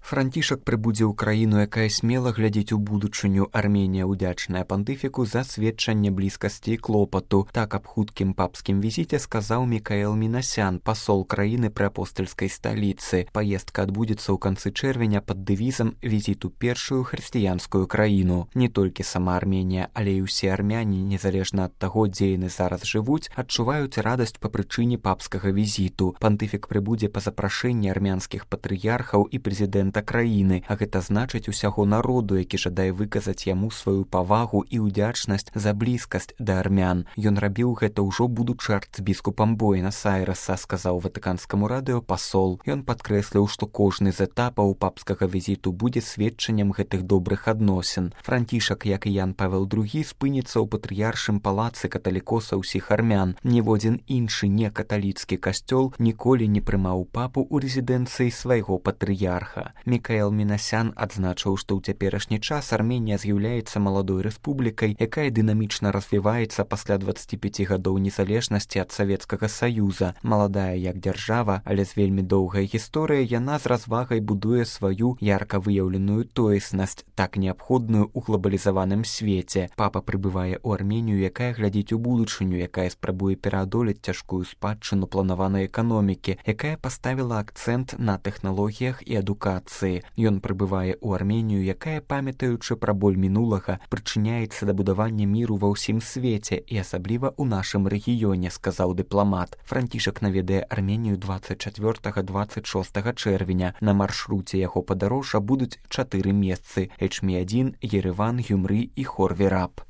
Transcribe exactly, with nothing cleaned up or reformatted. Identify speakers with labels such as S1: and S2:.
S1: Францішак прыбудзе ў краіну, якая смела глядзіць у будучыню. Арменія ўдзячная пантыфіку за сведчанне блізкасці і клопату. Так аб хуткім папскім візіце сказаў Мікаэл Мінасян, пасол краіны пры апостальскай сталіцы. Паездка адбудзецца ў канцы чэрвеня пад дэвізам «Візіт у першую хрысціянскую краіну». Не толькі сама Арменія, але і ўсе армяне, незалежна ад таго, дзе яны зараз жывуць, адчуваюць радасць па прычыне папскага візіту. Пантыфік прыбудзе па запрашэнні армянскіх патрыярхаў і прэзідэнта краіны, а гэта значыць усяго народу, які жадае выказаць яму сваю павагу і ўдзячнасць за блізкасць да армян. Ён рабіў гэта ўжо будучы арцбіскупам Буэнас-Айрэса, сказаў ватыканскаму радыё пасол. Ён падкрэсліў, што кожны з этапаў папскага візіту будзе сведчаннем гэтых добрых адносін. Францішак, як і Ян Павел другі, спыніцца ў патрыяршым палацы каталікоса ўсіх армян. Ніводзін іншы некаталіцкі касцёл ніколі не прымаў папу ў рэзідэнцыі свайго патрыярха. Мікаэл Мінасян адзначыў, што ў цяперашні час Арменія з'яўляецца маладой рэспублікай, якая дынамічна развіваецца пасля дваццаці пяці гадоў незалежнасці ад Савецкага Саюза. Маладая як дзяржава, але з вельмі доўгай гісторыяй, яна з развагай будуе сваю ярка выяўленую тоеснасць, так неабходную ў глобалізаваным свеце. Папа прыбывае ў Арменію, якая глядзіць у будучыню, якая спрабуе пераадолець цяжкую спадчыну планаванай эканомікі, якая паставіла акцэнт на тэхналогіях і адукацыі. Ён прыбывае ў Арменію, якая, памятаючы пра боль мінулага, прычыняецца да будавання міру ва ўсім свеце і асабліва ў нашым рэгіёне, сказаў дыпламат. Францішак наведае Арменію дваццаць чацвёртага - дваццаць шостага чэрвеня. На маршруце яго падарожжа будуць чатыры месцы: Эчміадзін, Ерэван, Гюмры і Хорвіраб.